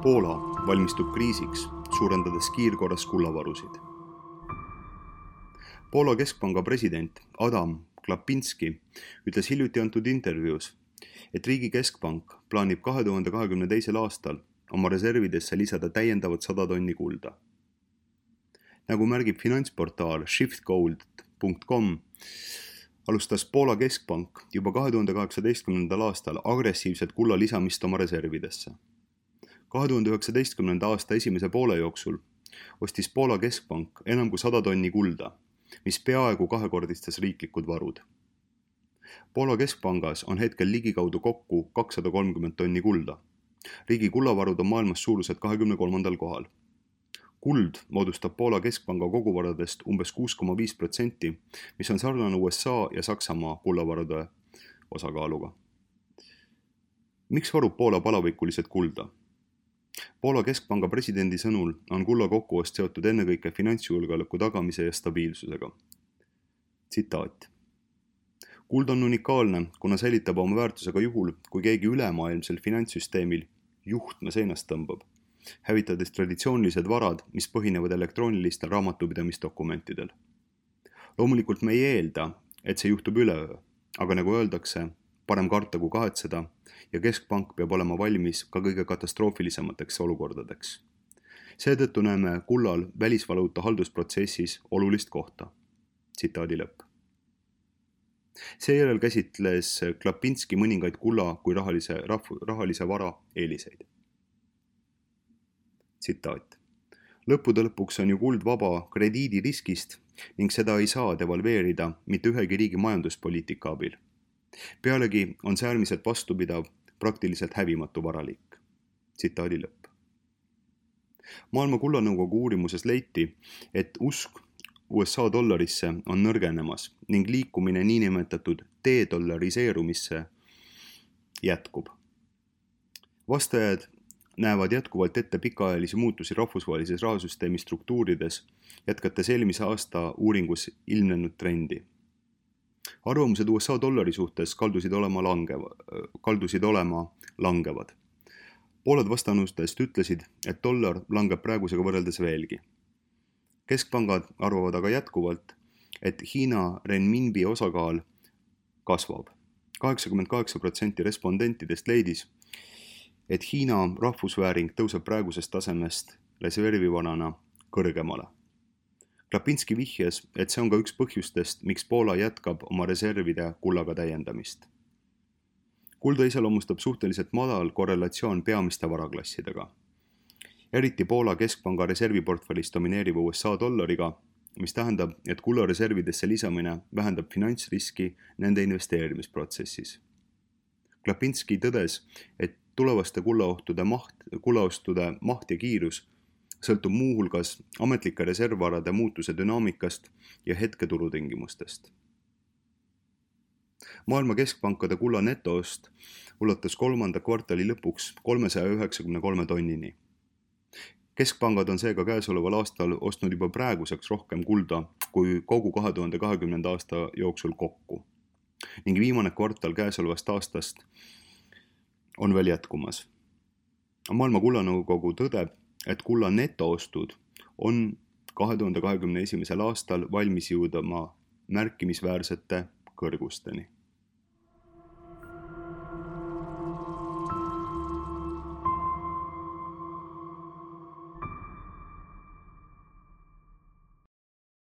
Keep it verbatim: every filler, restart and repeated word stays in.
Poola valmistub kriisiks, suurendades kiirkorras kullavarusid. Poola keskpanga president Adam Klapinski ütles hiljuti antud intervjuus, et riigi keskpank plaanib kahe tuhande kahekümne teisel aastal oma reservidesse lisada täiendavat sada tonni kulda. Nagu märgib finantsportaal shiftgold punkt com, alustas Poola keskpank juba kahe tuhande kaheksateistkümnendal aastal agressiivset kulla lisamist oma reservidesse. kahe tuhande üheksateistkümnenda aasta esimese poole jooksul ostis Poola keskpank enam kui sada tonni kulda, mis peaaegu kahekordistas riiklikud varud. Poola keskpangas on hetkel ligikaudu kokku kakssada kolmkümmend tonni kulda. Riigi kullavarud on maailmas suuruselt kahekümne kolmandal kohal. Kuld moodustab Poola keskpanga koguvaradest umbes kuus koma viis protsenti, mis on sarnane U S A ja Saksamaa kullavarude osakaaluga. Miks varub Poola palavikuliselt kulda? Poola keskpanga presidendi sõnul on kulla kokkuost seotud ennekõike finantsjulgeoleku tagamise ja stabiilsusega. Tsitaat. Kuld on unikaalne, kuna säilitab oma väärtusega juhul, kui keegi ülemaailmsel finantssüsteemil juhtme seinast tõmbab, hävitades traditsioonilised varad, mis põhinevad elektroonilistel raamatupidamisdokumentidel. Loomulikult me ei eelda, et see juhtub üleöö, aga nagu öeldakse, parem karta kui kahetseda ja keskpank peab olema valmis ka kõige katastroofilisemateks olukordadeks. Seetõttu näeme kullal välisvaluuta haldusprotsessis olulist kohta. Tsitaadi lõpp. Seejärel käsitles Klapinski mõningaid kulla kui rahalise, rahv, rahalise vara eeliseid. Tsitaat. Lõppude lõpuks on ju kuld vaba krediidiriskist ning seda ei saa devalveerida mitte ühegi riigi majanduspoliitika abil. Pealegi on see äärmiselt vastupidav, praktiliselt hävimatu varaliik. Tsitaadi lõpp. Maailma kullanõukogu uurimuses leiti, et usk U S A dollarisse on nõrgenemas ning liikumine niinimetatud dedollariseerumisse jätkub. Vastajad näevad jätkuvalt ette pikaajalisi muutusi rahvusvahelises rahasüsteemi struktuurides, jätkates eelmise aasta uuringus ilmnenud trendi. Arvamused U S A dollari suhtes kaldusid olema, langeva, kaldusid olema langevad. Pooled vastanustest ütlesid, et dollar langeb praegusega võrreldes veelgi. Keskpangad arvavad aga jätkuvalt, et Hiina renminbi osakaal kasvab. kaheksakümmend kaheksa protsenti respondentidest leidis, et Hiina rahvusvääring tõuseb praegusest tasemest reservivarana kõrgemale. Klapinski vihjas, et see on ka üks põhjustest, miks Poola jätkab oma reservide kullaga täiendamist. Kulda iseloomustab suhteliselt madal korrelatsioon peamiste varaklassidega. Eriti Poola keskpanga reserviportfellis domineeriva U S A dollariga, mis tähendab, et kulla reservidesse lisamine vähendab finantsriski nende investeerimisprotsessis. Klapinski tõdes, et tulevaste kullaohtude maht, kullaostude maht ja kiirus sõltub muuhulgas ametlike reservvarade muutuse dünaamikast ja hetketurutingimustest. Maailma keskpankade kulla netoost ulatus kolmanda kvartali lõpuks kolmesaja üheksakümne kolme tonnini. Keskpangad on seega käesoleval aastal ostnud juba praeguseks rohkem kulda kui kogu kahe tuhande kahekümnenda aasta jooksul kokku. Ning viimane kvartal käesolevast aastast on veel jätkumas. Maailma kullanõukogu tõdeb, et kulla netoostud on kahe tuhande kahekümne esimesel aastal valmis jõudma märkimisväärsete kõrgusteni.